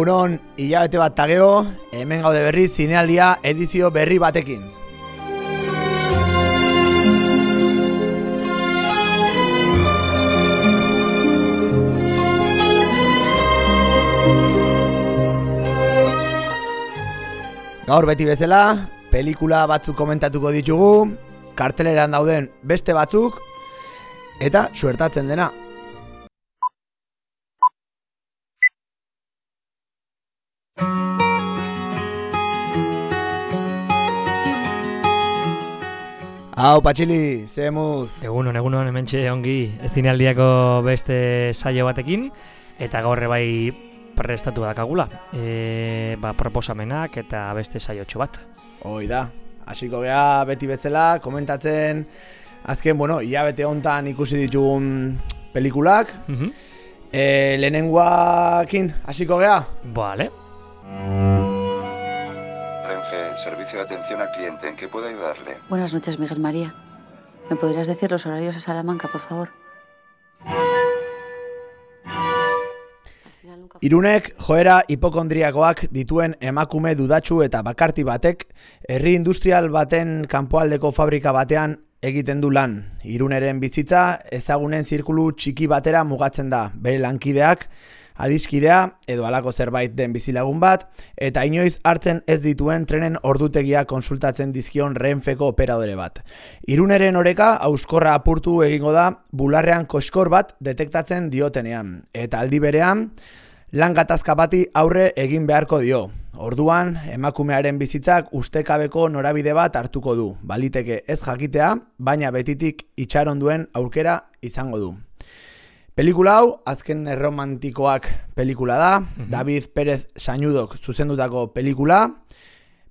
Egunon, hilabete bat tageo, hemen gaude berriz zinealdia edizio berri batekin. Gaur beti bezala, pelikula batzuk komentatuko ditugu, karteleran dauden beste batzuk, eta suertatzen dena. Hau, Patxili, zemuz. Egunon, hementxe ongi zinealdiako beste saio batekin, eta gaur bai prestatu dakagula. Proposamenak eta beste saiotxo bat. Hoi da, hasiko gea beti bezala, komentatzen, azken, hilabete hontan ikusi ditugun pelikulak. Lehenengoakin, hasiko gea? Vale. Servicio de atención al cliente, ¿en qué puedo ayudarle? Buenas noches, Miguel María. ¿Me podrías decir los horarios a Salamanca, por favor? Irunek joera hipokondriakoak dituen emakume dudatsu eta bakarti batek herri industrial baten kanpoaldeko fabrika batean egiten du lan. Iruneren bizitza ezagunen zirkulu txiki batera mugatzen da, bere lankideak, adiskidea edo halako zerbait den bizilagun bat, eta inoiz hartzen ez dituen trenen ordutegia konsultatzen dizkion Renfeko operadore bat. Iruneren oreka hauskorra apurtu egingo da bularrean koskor bat detektatzen diotenean, eta aldi berean lan gatazka bati aurre egin beharko dio. Orduan, emakumearen bizitzak ustekabeko norabide bat hartuko du. Baliteke ez jakitea, baina betitik itxaron duen aukera izango du. Pelikula hau, azken erromantikoak pelikula da, David Pérez Sañudok zuzendutako pelikula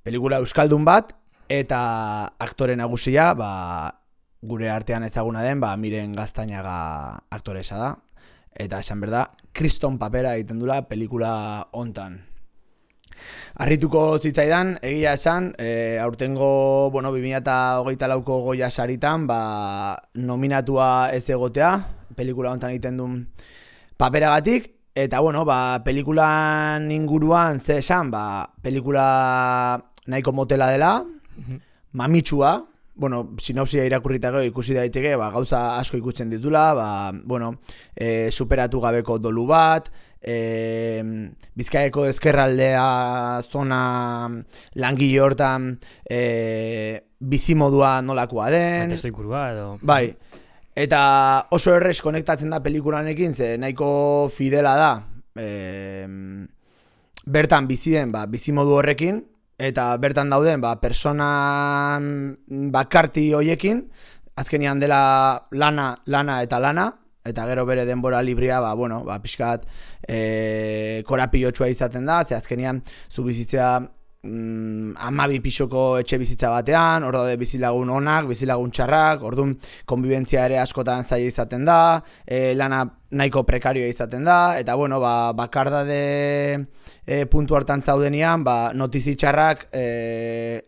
euskaldun bat, eta aktore nagusia, gure artean ezaguna den, Miren Gaztañaga aktoresa da, eta esan berda, kriston papera egiten dula pelikula hontan. Harrituko zitzaidan, egia esan, aurtengo, 2024ko Goya saritan, nominatua ez egotea, pelikula hontan egiten duen paperagatik, eta pelikulan inguruan ze esan, pelikula nahiko motela dela, mamitsua, sinopsia irakurritako ikusi daiteke, gauza asko ikusten ditula, superatu gabeko dolu bat, Bizkaiko ezkerraldea zona langile hortan bizimodua nolakoa den. Eta inkurua edo. Bai, eta oso errez konektatzen da pelikulanekin, ze nahiko fidela da bertan biziden bizimodu horrekin, eta bertan dauden persona bakarti hoiekin, azkenian dela lana eta lana, eta gero bere denbora librea, pixkat korapilotxua izaten da, ze azkenian zu bizitzea 12 pisoko etxe bizitza batean, hor daude bizilagun onak, bizilagun txarrak, orduan konbibentzia ere askotan zaila izaten da, lana nahiko prekarioa izaten da, eta bakardade puntu hartan zaudenian, notizi txarrak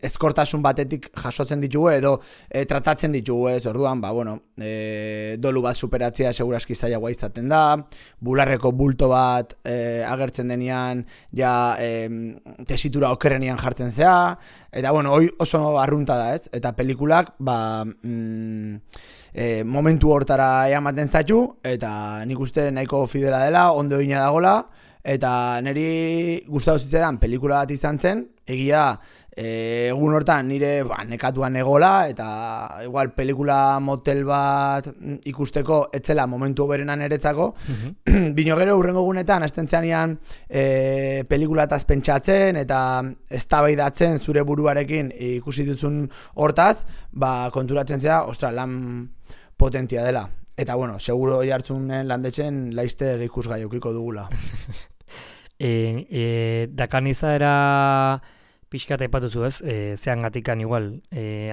ezkortasun batetik jasotzen ditugu edo tratatzen ditugu ez, orduan, dolu bat superatzea seguraski zailagoa izaten da, bularreko bulto bat agertzen denean, tesitura okerrenian jartzen zea, eta hoi oso arrunta da ez, eta pelikulak, momentu hortara ematen zaitu, eta nik uste nahiko fidela dela, ondo egina dagola, eta niri gustatu zitzaidan pelikula bat izan zen, egia egun hortan nire nekatuan egola, eta igual pelikula motel bat ikusteko etzela momentu hoberenan eretzako, bino gero hurrengo gunetan estentzeanian pelikulataz pentsatzen, eta eztabaidatzen zure buruarekin ikusi duzun hortaz, konturatzen zera, lan potentia dela. Eta seguro jartzunen landetzen laizter ikusgai eukiko dugula. Dakan izaera pixkat aipatuzu ez, zean gatikan igual,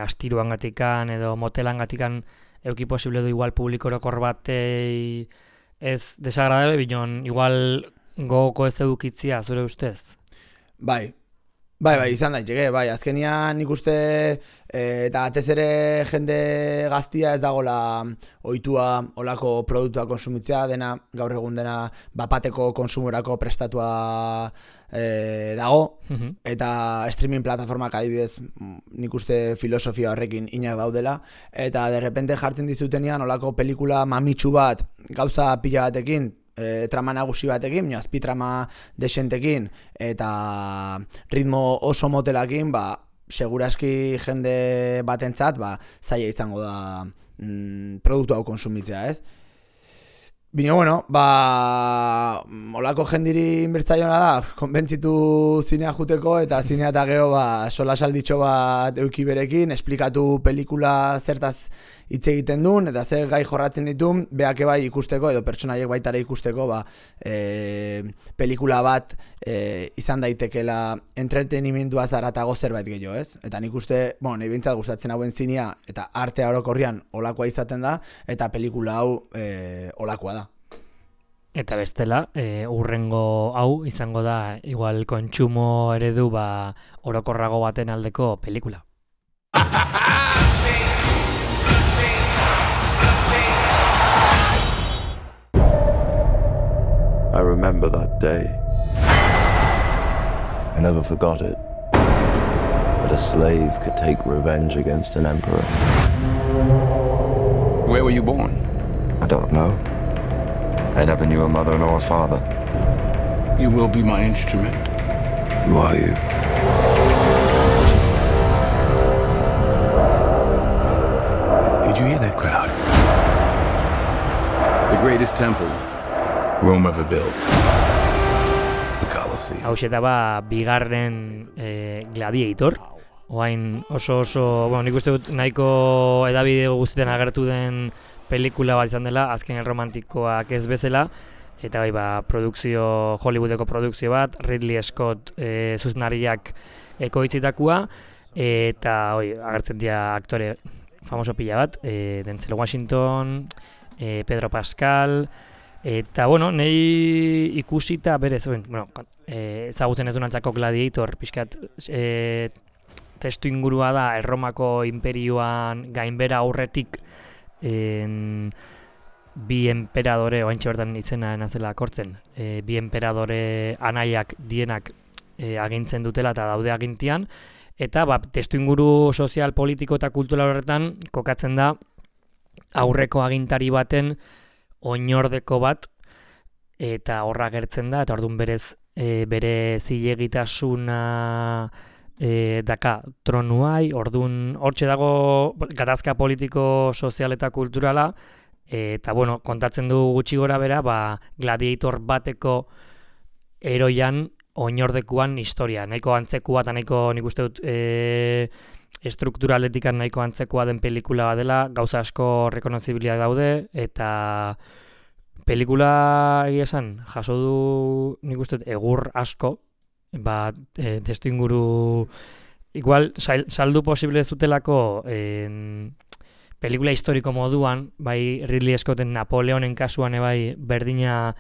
astiruan gatikan edo motelan gatikan euki posible du igual publikorokor bat ez desagradable, binon igual gogoko ez edukitzia zure ustez? Bai, Bai, izan daiteke, bai, azkenian nik uste eta batez ere jende gaztia ez dagola ohitua olako produktua konsumitzea, dena gaur egun dena bapateko konsumorako prestatua dago, eta streaming plataformak adibidez nik uste filosofia horrekin inak daudela, eta derrepente jartzen dizutenian olako pelikula mamitsu bat gauza pila batekin, trama nagusi batekin, azpitrama desentekin eta ritmo oso motelakin, seguraski jende batentzat zaila izango da produktu hau konsumitzea, ez? Bino, bueno, olako jendiri inbertzaiona da, konbentzitu zinea juteko eta zinea eta geho sola salditxo bat euki berekin, esplikatu pelikula zertaz hitz egiten duen, eta zer gai jorratzen ditun, beake bai ikusteko, edo pertsonaiek baitara ikusteko, pelikula bat izan daitekela entretenimendua zaratago zerbait gehiago, ez? Eta nik uste, nahi bintzat gustatzen hauen zinea, eta artea orokorrian olakoa izaten da, eta pelikula hau olakoa da. Eta bestela, urrengo hau izango da, igual kontsumo eredu orokorrago baten aldeko pelikula. I remember that day. I never forgot it. That a slave could take revenge against an emperor. Where were you born? I don't know. I never knew a mother nor a father. You will be my instrument. Who are you? Did you hear that crowd? The greatest temple Rome ever built. The Colosseum. Hau da bigarren Gladiator. Oain oso, nik uste dut nahiko edabide guztietan agertu den pelikula bat izan dela, azken erromantikoak ez bezala, eta produkzio, Hollywoodeko produkzio bat, Ridley Scott zuzenariak ekoitzitakoa, eta agertzen dira aktore famoso pila bat, Denzel Washington, Pedro Pascal, eta nahi ikusita berez, ezagutzen ez dunantzako Gladiator, pixkat testu ingurua da Erromako imperioan gainbera aurretik bi enperadore, oaintxe bertan izena nazela kortzen, bi enperadore anaiak dienak agintzen dutela eta daude agintian, eta testu inguru sozial, politiko eta kultural horretan kokatzen da aurreko agintari baten oinordeko bat, eta horra gertzen da, eta orduan berez bere zilegitasuna daka tronuai, orduan hortxe dago gatazka politiko, sozial eta kulturala, eta kontatzen du gutxi gora bera, Gladiator bateko eroian oinordekuan historia, nahiko antzekua eta nahiko nik uste dut estrukturaletikan nahiko antzekoa den pelikula bat dela, gauza asko rekonozibiliak daude, eta pelikula egia esan, jaso du nik uste dut egur asko, testu inguru igual saldu posible ez dutelako pelikula historiko moduan, Ridley Scotten Napoleonen kasuan berdina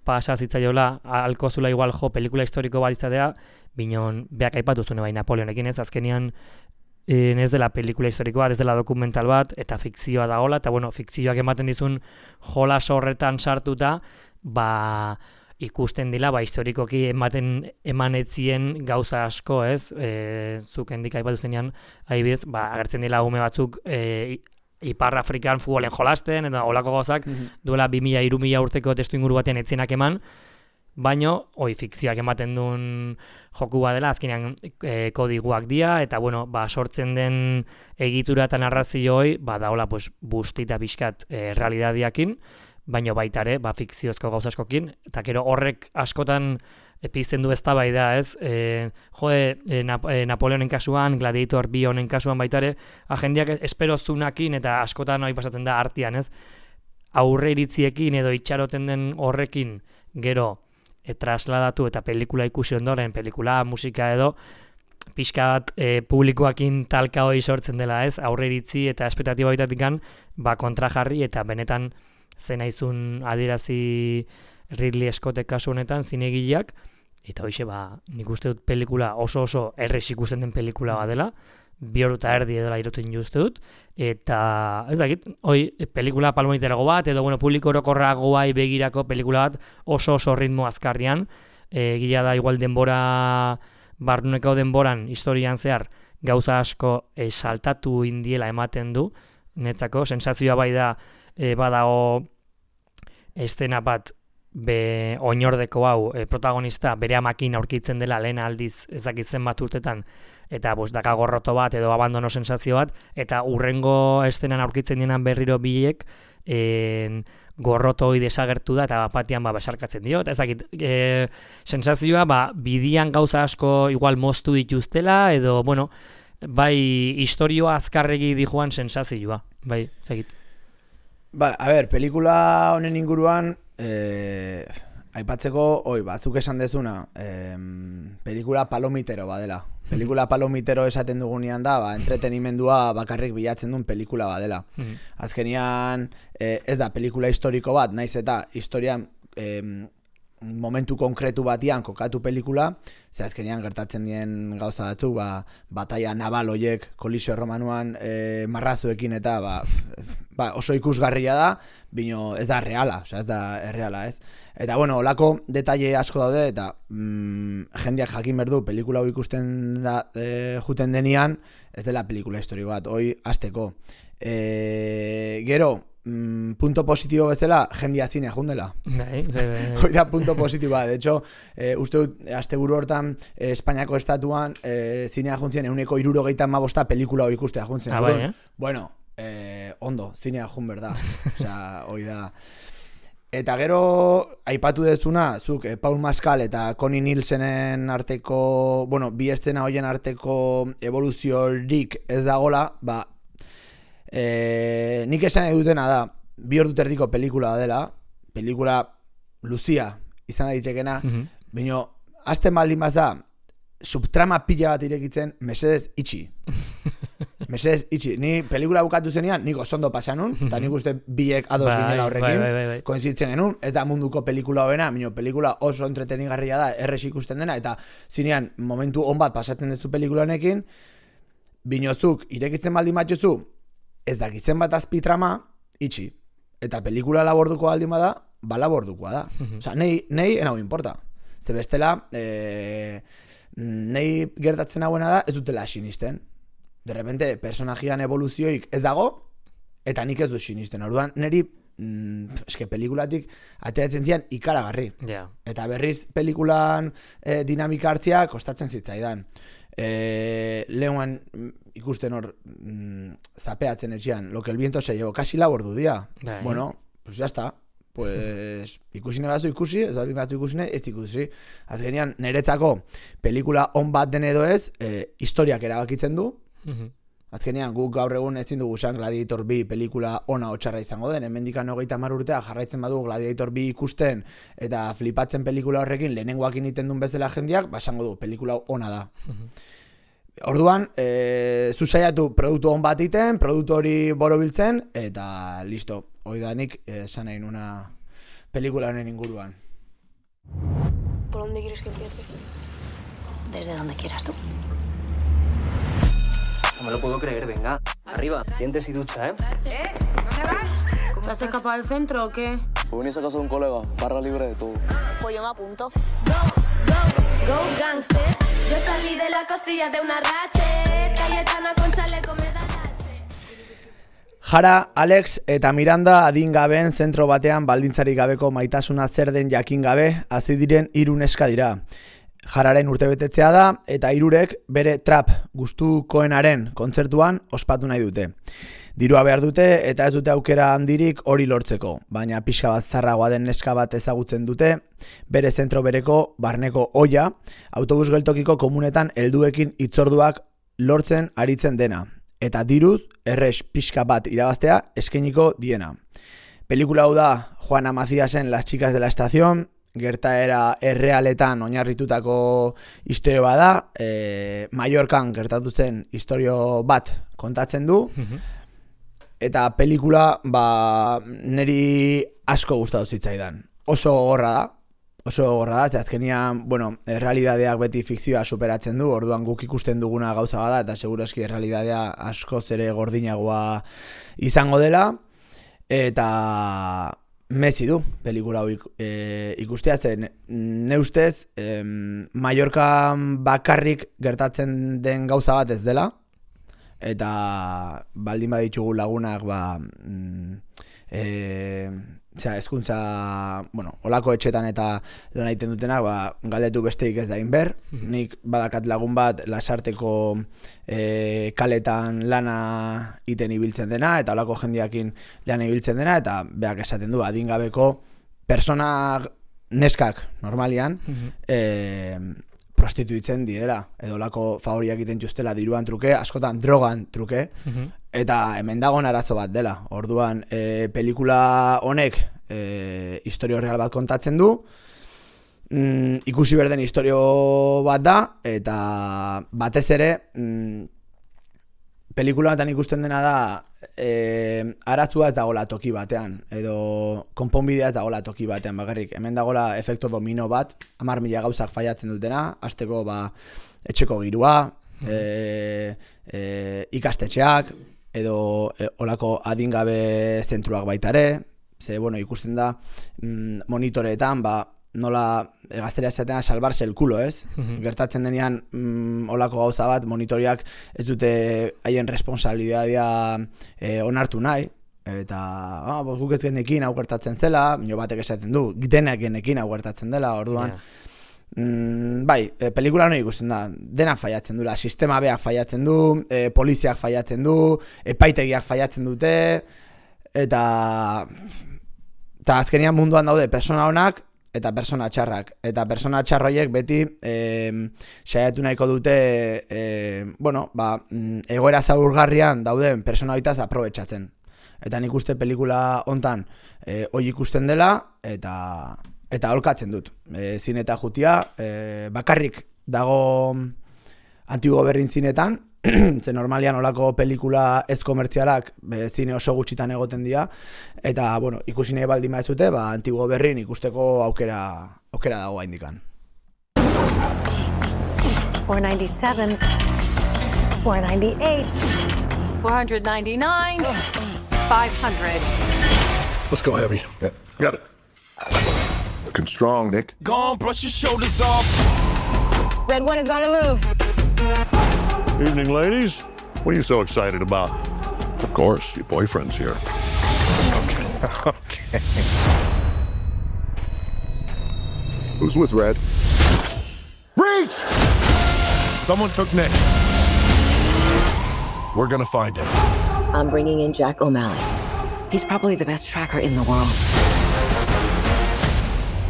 pasa zitzaiola, alkozula igual pelikula historiko bat izatea, binon beak aipatu zuen Napoleonekin ez, azkenian ez dela pelikula historikoa, ez dela dokumental bat, eta fikzioa dagoela, eta fikzioak ematen dizun jolas horretan sartuta, ikusten dila, historikoki emanetzien gauza asko, ez? Zuk hendik aipatu zenean, adibidez, agertzen dila ume batzuk Ipar Afrikan futbolen jolasten, eta olako gauzak, duela 2000-3000 urteko testu inguru batean etzienak eman, baino, fikzioak ematen duen joku badela, azkenean kodiguak dira, eta, sortzen den egitura eta narrazio daola, bustita pixkat realidadiakin, baino baita ere, fikziozko gauza askokin, eta gero horrek askotan pizten du eztabaida, ez? Napoleonen kasuan, Gladiator 2 honen kasuan baita ere, jendeak espero zunakin eta askotan pasatzen da artean, ez? Aurre iritziekin edo itxaroten den horrekin gero trasladatu eta pelikula ikusi ondoren, pelikula, musika edo, pixka bat publikoakin talka hori sortzen dela, ez? Aurre iritzi eta espektatiba baitatikan, kontra jarri eta benetan zen aizun adierazi Ridley Scottek kasu honetan, zinegileak, Eta hoxe, nik uste dut pelikula oso errez ikusten den pelikula bat dela, 2 ordu eta erdi edela iruten uste dut, eta ez dakit, pelikula palomiterago bat, edo publiko orokorragoai begirako pelikula bat oso ritmo azkarrian, gila da igual denbora, barnuneko denboran, historian zehar, gauza asko saltatu indiela ematen du, netzako, sensazioa bai da, badago estena bat, oinordeko hau protagonista bere amakin aurkitzen dela lehen aldiz ezakitzen bat urtetan eta daka gorroto bat edo abandono sensazio bat eta urrengo estenan aurkitzen dienan berriro biek gorroto hori desagertu da eta batian besarkatzen dio eta ezakit sensazioa bidian gauza asko igual moztu dituztela edo bai historioa azkarregi dijoan sensazioa bai ezakit. A ber, pelikula honen inguruan aipatzeko, zuk esan dezuna, pelikula palomitero badela. Pelikula palomitero esaten dugunean da, entretenimendua bakarrik bilatzen duen pelikula badela. Azkenian, ez da pelikula historiko bat, naiz eta historian momentu konkretu batian kokatu pelikula, ze azkenean gertatzen dien gauza batzuk, bataia naval hoiek kolisio romanuan marrazuekin eta oso ikusgarria da, bino ez da reala, ez da erreala, ez? Eta olako detaile asko daude eta jendeak jakin berdu pelikula hau ikusten juten denian, ez dela pelikula historiko bat, hoi hasteko. Gero, punto positibo bezala, jendia zinea jundela. Hoi da punto positiboa. De hecho, uste dut, asteburu hortan, Espainiako estatuan, zinea juntzen, 175 pelikula hori ikustea juntzen. Bueno, ondo, zinea jun berda. Osea, hoi da. Eta gero, aipatu dezuna, zuk, Paul Mescal eta Connie Nielsenen arteko, bi estena hoien arteko evoluziorik ez dagola, nik esan edutena da 2 ordu erdiko pelikula dela, pelikula luzia izan daitekena, baina azten baldin baza subtrama pila bat irekitzen, mesedez itxi. Mesedez itxi. Ni pelikula bukatu zenean, nik osondo pasanun, eta nik uste biek ados ginela horrekin, koinzitzen genuen, ez da munduko pelikula hoena, baina pelikula oso entretenigarria da, errez ikusten dena, eta zinean momentu on bat pasatzen dezu pelikula honekin, binozuk irekitzen baldin batzuzu, ez dakitzen bat azpitrama, itxi. Eta pelikula laborduko aldin bada, labordukoa da. Osa, nahi enau importa. Ze bestela, nahi gertatzen hauena da, ez dutela sinisten. De repente, personajian evoluzioik ez dago, eta nik ez du sinisten. Orduan, niri, eske pelikulatik ateratzen zian ikaragarri. Eta berriz pelikulan dinamika hartzia kostatzen zitzaidan. Lehuan ikusten hor zapeatzen etxean, lo que el viento se llevó, kasi labordu dia. Bueno, pues ya está. Pues ikusine batzu ikusi, ez batzu ikusine, ez ikusi. Azkenean, niretzako pelikula on bat den edo ez, historiak erabakitzen du. Azkenean, guk gaur egun ezin dugu esan Gladiator 2 pelikula ona otxarra izango den, hemendikan 30 urtea jarraitzen badu Gladiator 2 ikusten eta flipatzen pelikula horrekin lehenengoak egiten duen bezala jendeak, esango du, pelikula ona da. Orduan, zu saiatu produktu on bat iten, produktu hori borobiltzen, eta listo. Hoi da nik esan nahi nuna pelikula honen inguruan. ¿Por dónde quieres que empiece? Desde donde quieras tú. No me lo puedo creer, venga. Arriba, dientes y ducha, ¿eh? ¿Dónde vas? ¿Te has escapado del centro o qué? Pues venís a casa de un colega, barra libre de todo. Pues yo me apunto. Go gangster. Yo salí de la costilla de una rache. Cayetana con chaleco me da lache. Jara, Alex eta Miranda adingabeen zentro batean baldintzarik gabeko maitasuna zer den jakin gabe hasi diren 3 neska dira. Jararen urtebetetzea da eta 3ek bere trap gustukoenaren kontzertuan ospatu nahi dute. Dirua behar dute eta ez dute aukera handirik hori lortzeko, baina pixka bat zarragoa den neska bat ezagutzen dute, bere zentro bereko barneko oia, autobus geltokiko komunetan helduekin hitzorduak lortzen aritzen dena, eta diruz erres pixka bat irabaztea eskainiko diena. Pelikula hau da Juana Macíasen Las chicas de la estación, gertaera errealetan oinarritutako istorio bada, Mallorcan gertatu zen istorio bat kontatzen du, eta pelikula neri asko gustatu zitzaidan. Oso gogorra da, oso gogorra da, azkenian, bueno, errealidadeak beti fikzioa superatzen du, orduan guk ikusten duguna gauza bada, eta segurazki errealidadea askoz ere gordinagoa izango dela, eta mezi du pelikula hau ikustea, zen ne ustez Mallorcan bakarrik gertatzen den gauza bat ez dela, eta baldin baditugu lagunak ezkuntza, bueno, olako etxetan eta lan egiten dutenak, galdetu besteik ez da inber. Nik badakat lagun bat Lasarteko kaletan lana iten ibiltzen dena, eta olako jendiakin lana ibiltzen dena, eta beak esaten du, adingabeko persona neskak normalian prostituitzen direla, edo olako favoriak egiten justela diruan truke, askotan drogan truke, eta hemen dagoen arazo bat dela. Orduan, pelikula honek historio real bat kontatzen du, ikusi berden historio bat da, eta batez ere, pelikula batean ikusten dena da, aratzua ez dagoela toki batean, edo konponbidea ez dagoela toki batean bakarrik. Hemen dagoela efekto domino bat, 10.000 gauzak faiatzen dutena, hasteko etxeko girua, ikastetxeak, edo olako adingabe zentruak baitare, ze, bueno, ikusten da monitoreetan, nola gazteria esatean salvarse el culo, ez? Gertatzen denean olako gauza bat, monitoriak ez dute haien responsabilidadea onartu nahi, eta guk ez genekin hau gertatzen zela, mino batek esaten du, denak genekin hau gertatzen dela, orduan, pelikula hori ikusten da, dena faiatzen dula, sistema beak faiatzen du, poliziak faiatzen du, epaitegiak faiatzen dute, eta azkenian munduan daude persona honak, eta persona txarrak. Eta persona txarroiek beti saiatu nahiko dute egoera zaurgarrian dauden persona hoitaz aprobetxatzen. Eta nik uste pelikula hontan hoi ikusten dela, eta holkatzen dut. Zine eta jutia, bakarrik dago Antigo Berrin zinetan, ze normalian olako pelikula ez komertzialak zine oso gutxitan egoten dira, eta, bueno, ikusi nahi baldin baizute, Antigo Berrin ikusteko aukera dago haindikan. 497, 498, 499, 500. Let's go, Heavy. Yeah. Got it. Looking strong, Nick. Go on, brush your shoulders off. Red one is on the move. Evening, ladies. What are you so excited about? Of course, your boyfriend's here. Okay. Who's with Red? Reach! Someone took Nick. We're gonna find him. I'm bringing in Jack O'Malley. He's probably the best tracker in the world.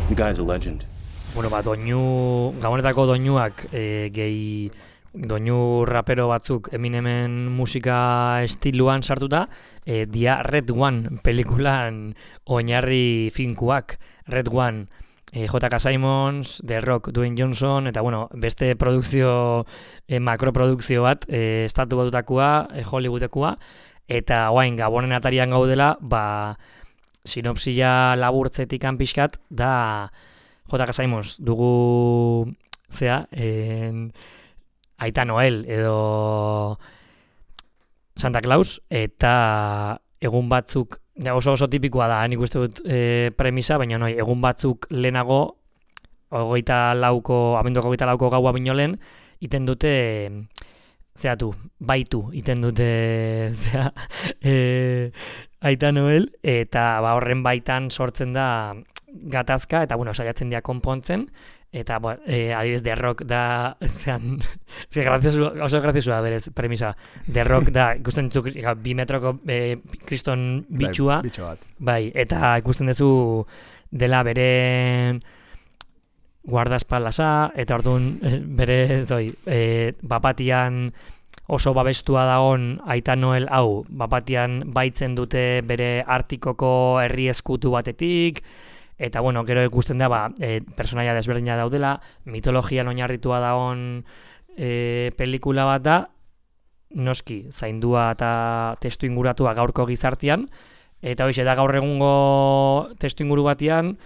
The guy's a legend. Bueno, gabonetako doinuak doinu rapero batzuk Eminemen musika estiluan sartuta, dia Red One pelikulan oinarri finkuak. Red One, J.K. Simmons, The Rock, Dwayne Johnson, eta bueno, beste produkzio, makroprodukzio bat, estatu batutakoa, Hollywoodekoa, eta guain gabonen atarian gaudela, sinopsia laburtzetik pixkat, da J.K. Simmons dugu Aita Noel edo Santa Claus, eta egun batzuk, oso tipikoa da, nik uste dut premisa, baina egun batzuk lehenago, abenduko 24 gaua binolen, iten dute, baitu, iten dute, Aita Noel, eta horren baitan sortzen da gatazka, eta saiatzen dira konpontzen, eta adibidez The Rock da oso graziosua berez premisa. The Rock da ikusten duzu 2 metroko kriston bitxua, bai, eta ikusten duzu dela bere guardaespaldasa, eta orduan bere bapatian oso babestua dagoen Aita Noel hau, bapatian baitzen dute bere Artikoko herri eskutu batetik, eta gero ikusten da personaia desberdina daudela, mitologian oinarritua dagoen pelikula bat da, noski zaindua eta testu inguratua gaurko gizartean, eta da gaur egungo testu inguru batean,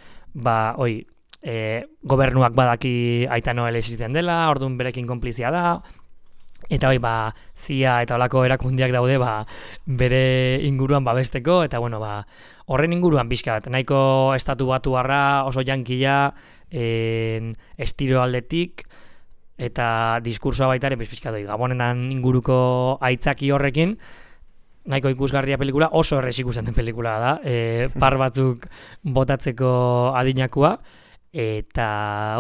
gobernuak badaki Aita Noel existitzen dela, orduan berekin konplizia da, eta CIA eta olako erakundiak daude bere inguruan babesteko, eta horren inguruan pixka bat, nahiko estatu batuarra oso jankila estilo aldetik, eta diskursoa baita ere pixka doi, Gabonenan inguruko aitzaki horrekin, nahiko ikusgarria pelikula, oso errez ikusten den pelikula da, par batzuk botatzeko adinakua, eta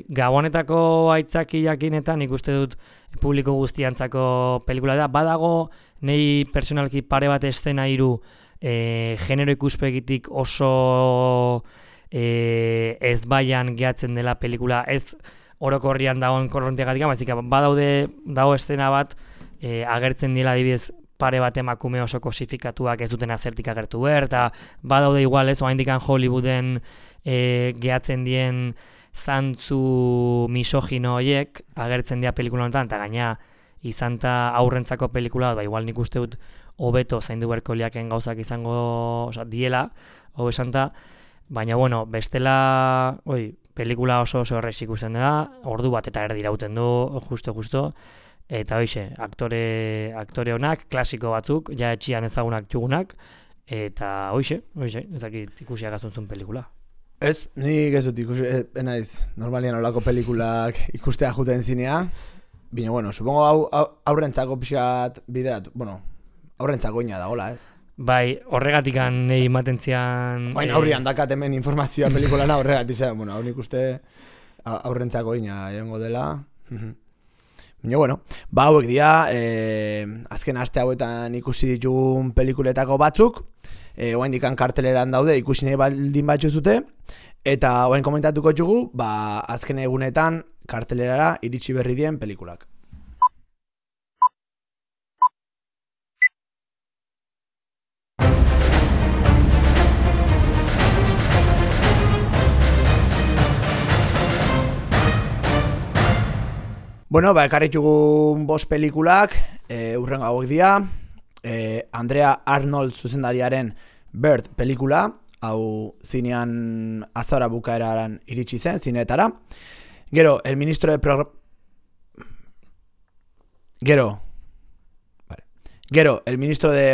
Gabonetako aitzakiakinetan ikuste dut publiko guztiantzako pelikula da, badago nei personalki pare bat eszena hiru genero ikuspegitik oso ezbaian gehatzen dela pelikula, ez orokorrian dagoen korrontiagatik, baizik dago eszena bat agertzen dela adibidez pare bat emakume oso kosifikatuak ez duten azertik agertu behar, eta badaude igual ez, oaindikan Hollywooden gehatzen dien zantzu misogino horiek agertzen dira pelikula honetan, eta gaina izan ta aurrentzako pelikula, igual nik uste dut hobeto zaindu beharko liaken gauzak izango diela, hobe santa, baina bestela pelikula oso errez ikusten da, ordu bat eta erdi irauten du, justo, eta aktore honak, klasiko batzuk, ja etxian ezagunak txugunak, eta ezakit ikusiak azuntzun pelikula. Ez, nik ez dut ikusi, naiz, normalian olako pelikulak ikustea juten zinea, bine, supongo aurrentzako pixat bideratu, aurrentzako ina dagoela, ez? Bai, horregatikan nahi matentzian... Aurrian dakat hemen informazioa pelikulana horregatik, hau nik uste aurrentzako ina egongo dela. Baina, hauek dira, azken aste hauetan ikusi ditugun pelikuletako batzuk, oaindikan karteleran daude ikusi nahi baldin batzu zute, eta oain komentatuko txugu, azken egunetan kartelerara iritsi berri dien pelikulak. Ekarritugun 5 pelikulak, urrengo hauek dira, Andrea Arnold zuzendariaren Bird pelikula, hau zinean azara bukaeran iritsi zen, zineetara. Gero, el ministro de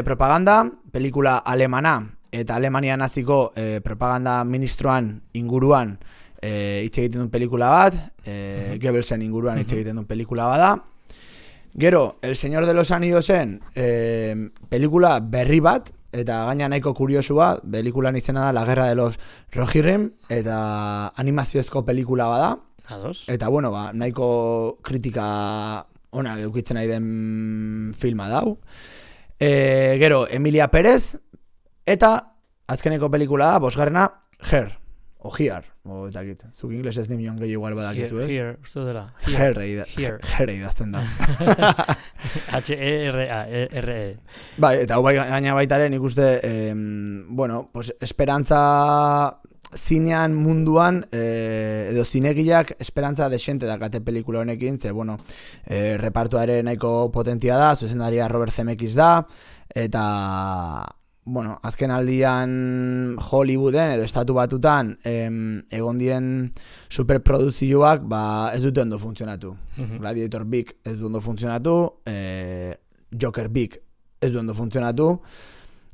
propaganda, pelikula alemana, eta Alemania naziko propaganda ministroan inguruan hitz egiten duen pelikula bat, Goebbelsen inguruan hitz egiten duen pelikula bat da. Gero, El Señor de los Anidosen pelikula berri bat, eta gaina nahiko kuriosua, pelikulan izena da La Guerra de los Rohirrim, eta animaziozko pelikula bada. Eta nahiko kritika onak eukitzen nahi den filma dau. Gero, Emilia Pérez, eta azkeneko pelikula da, 5. Her, o Here, o ezakit, zuk ingles ez nimion gehi igual badakizu, ez? Here, uste dela. Here idazten da. H-E-R-A-R-E. Bai, eta hau gaina baitaren ikuste, esperantza zinean munduan, edo zinegileak esperantza desente dakate pelikula honekin, ze, repartuaren nahiko potentia da, zuzendaria Robert Zemeckis da, eta... azken aldian Hollywooden edo estatu batutan egon dien superproduzioak ez dute ondo funtzionatu. Gladiator Big ez du ondo funtzionatu, Joker Big ez du ondo funtzionatu,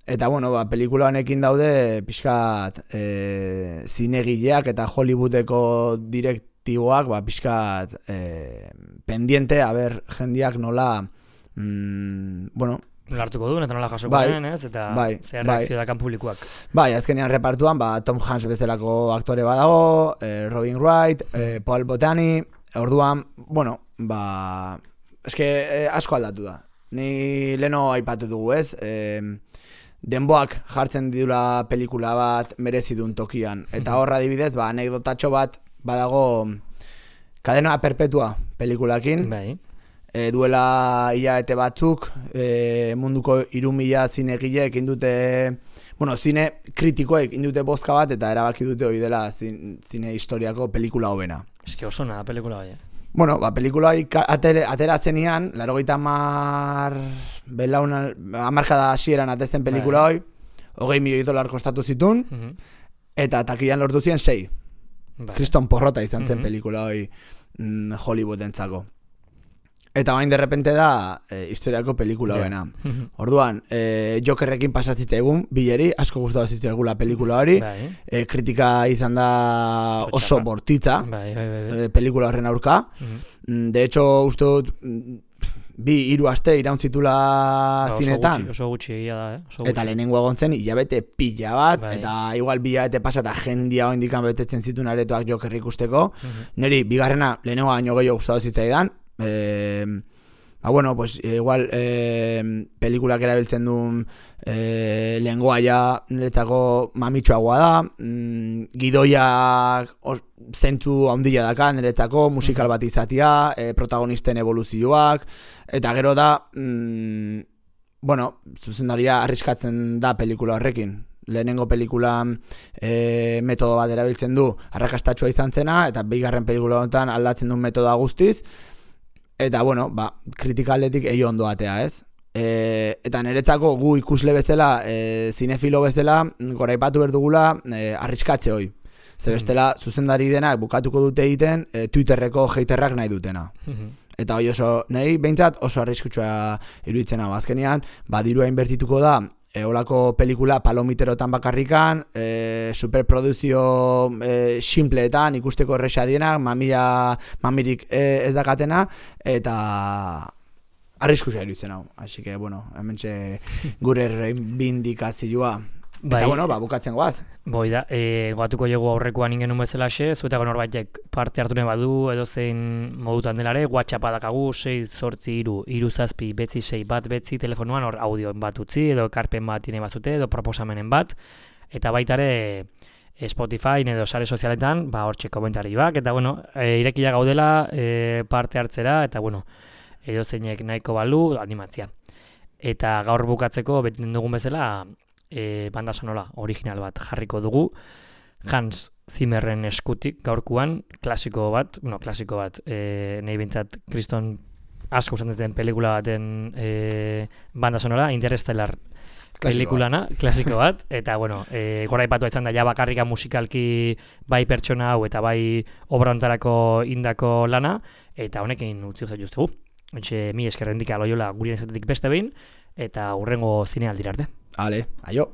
eta pelikula honekin daude pixkat zinegileak eta Hollywoodeko direktiboak pixkat pendiente, jendiak nola Lartuko duen, eta nola jasoko duen, ez? Eta zer reakzio dakan publikoak. Bai, azkenean repartuan, Tom Hanks bezalako aktore badago, Robin Wright, Paul Bettany, orduan, asko aldatu da. Ni leno aipatu dugu, ez? Denboak jartzen didula pelikula bat merezidun tokian. Eta horra adibidez, anekdotatxo bat badago Cadena Perpetua pelikulakin. Bai. Duela hilabete batzuk munduko 3.000 zinegileek indute, zine kritikoek indute bozka bat eta erabaki dute hori dela zine historiako pelikula hobena. Eske oso na pelikula bai. Pelikula atera zenian, 80 hamarkada hasieran atesten pelikula hori, $20 milioi kostatu zitun, eta takian lortu ziren 6. kriston porrota izan zen pelikula hori Hollywoodentzako. Eta bain derrepente da historiako pelikula bena. Orduan, Jokerrekin pasatzitza egun, bileri, asko gustatu zitzaigula pelikula hori, kritika izan da oso bortitza, pelikula horren aurka. De hecho, uste dut, 2-3 aste irauntzitula zinetan. Oso gutxi egia da, Eta lehenengo egon zen, hilabete pila bat, eta igual 2 hilabete pasa eta jendia indikan betetzen zituen aretoak Jokerrik usteko. Neri, bigarrena, lehenengo baino gehiago gustatu zitzaidan, bueno, pues igual pelikulak erabiltzen duen lengoa ja niretzako mamitsuagoa da, gidoiak zentzu handia daka niretzako, musikal bat izatea, protagonisten evoluzioak, eta gero da, bueno, zuzendaria arriskatzen da pelikula horrekin. Lehenengo pelikulan metodo bat erabiltzen du arrakastatsua izan zena, eta bigarren pelikula honetan aldatzen duen metodoa guztiz, eta, bueno, kritika aldetik ondo atea, ez? Eta niretzako gu ikusle bezala, zinefilo bezala, goraipatu berdugula arriskatze hoi. Ze bestela, zuzendari denak bukatuko dute egiten, Twitterreko haterrak nahi dutena. Eta hoi oso, niri behintzat oso arriskutsua iruditzen hau. Azkenean, dirua inbertituko da, olako pelikula palomiterotan bakarrikan, superproduzio simpleetan, ikusteko erresa dienak, mamirik ez dakatena, eta arriskusia iruditzen hau. Así que, bueno, hementxe gure reivindikazioa. Eta, bueno, bukatzen goaz. Boi da, goatuko jogu aurrekoan ingenun bezalaxe, zuetako norbaitek parte hartu nahi badu, edo zein modutan delare, WhatsAppa dakagu, 6-8-3-7-6 telefonuan, hor audioen bat utzi, edo ekarpen bat ine bazute, edo proposamenen bat, eta baitare Spotify edo sare sozialetan, hortxe komentari bak, eta, bueno, irekia gaudela parte hartzera, eta, bueno, edo zeinek nahiko balu, animatzia. Eta gaur bukatzeko, beten dugun bezala, banda sonora original bat jarriko dugu, Hans Zimmerren eskutik gaurkuan, klasiko bat, nahi bintzat kriston asko usan den pelikula baten banda sonora, Interstellar pelikulana, klasiko bat, eta, bueno, goraipatu izan da ja bakarrika musikalki bai pertsona hau eta bai obrantarako indako lana, eta honekin utzi guzti justegu. Mi eskerrendik aloiola gurien ezatetik beste behin, eta hurrengo zinealdira arte. Ale, aio.